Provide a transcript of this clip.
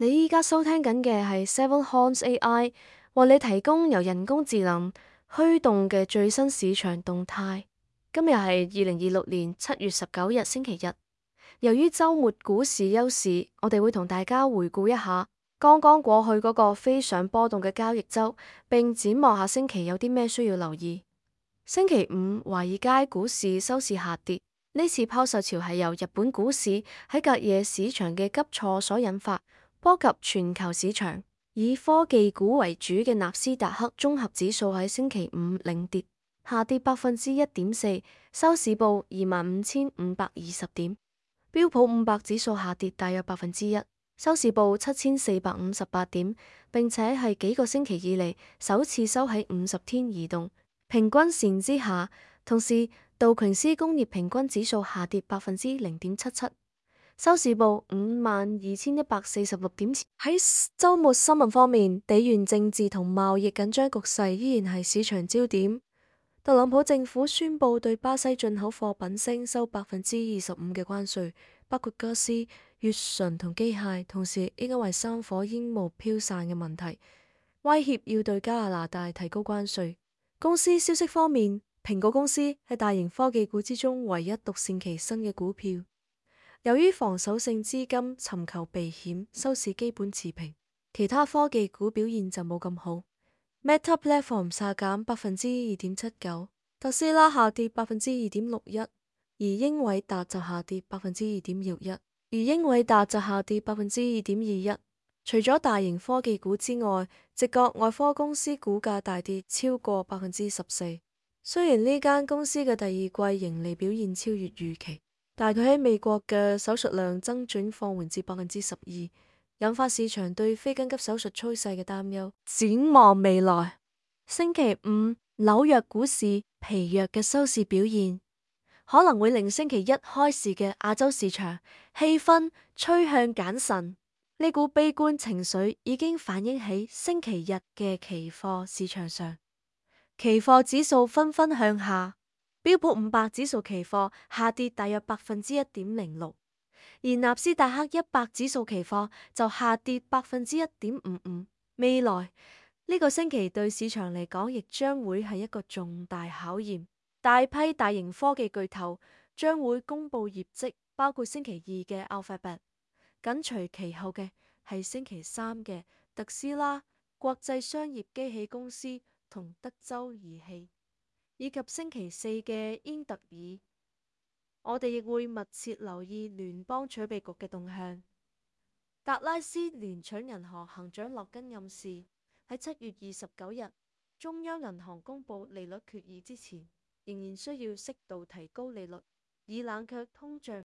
你依家收聽緊嘅係 Seven Horns AI 為你提供由人工智能驅動嘅最新市場動態。今日係2026年7月19日星期日。由於週末股市休市，我哋會同大家回顧一下剛剛過去嗰個非常波動嘅交易週，並展望下星期有啲咩需要留意。星期五，華爾街股市收市下跌，呢次拋售潮係由日本股市喺隔夜市場嘅急挫所引發，波及全球市場。以科技股為主嘅納斯達克綜合指數喺星期五領跌，下跌1.4%，收市報25,520點。標普500指數下跌大約1%，收市報7,458點，並且係幾個星期以嚟首次收喺50天移動平均線之下。同時，道瓊斯工業平均指數下跌0.77%，收市報52,146點。喺週末新聞方面，地緣政治同貿易緊張局勢依然係市場焦點。特朗普政府宣布對巴西進口貨品徵收25%嘅關稅，包括家私、乙醇同機械。同時，因為山火煙霧飄散嘅問題，威脅要對加拿大提高關稅。公司消息方面，蘋果公司係大型科技股之中唯一獨善其身嘅股票。由於防守性資金尋求避險，收市基本持平。其他科技股表現就冇咁好。Meta Platform 下減2.79%，特斯拉下跌2.61%，而英偉達就下跌2.21%。除咗大型科技股之外，直覺外科公司股價大跌超過14%。雖然呢間公司嘅第二季盈利表現超越預期，但佢喺美國嘅手術量增長放緩至12%。引發市場對非緊急手術趨勢嘅擔憂。展望未來，星期五紐約股市疲弱嘅收市表現，可能會令星期一開市嘅亞洲市場氣氛趨向謹慎。呢股悲觀情緒已經反映喺星期日嘅期貨市場上，期貨指數紛紛向下，標普500指數期貨下跌大約1.06%。而納斯達克100指數期貨就下跌1.55%。未來呢個星期對市場嚟講，亦將會係一個重大考驗。大批大型科技巨頭將會公布業績，包括星期2嘅 Alphabet， 緊隨其後嘅係星期3嘅特斯拉、國際商業機器公司同德州儀器，以及星期4嘅英特爾。我哋亦會密切留意聯邦儲備局嘅動向。達拉斯聯儲銀行行長洛根暗示，喺7月29日中央銀行公布利率決議之前，仍然需要適度提高利率，以冷卻通脹。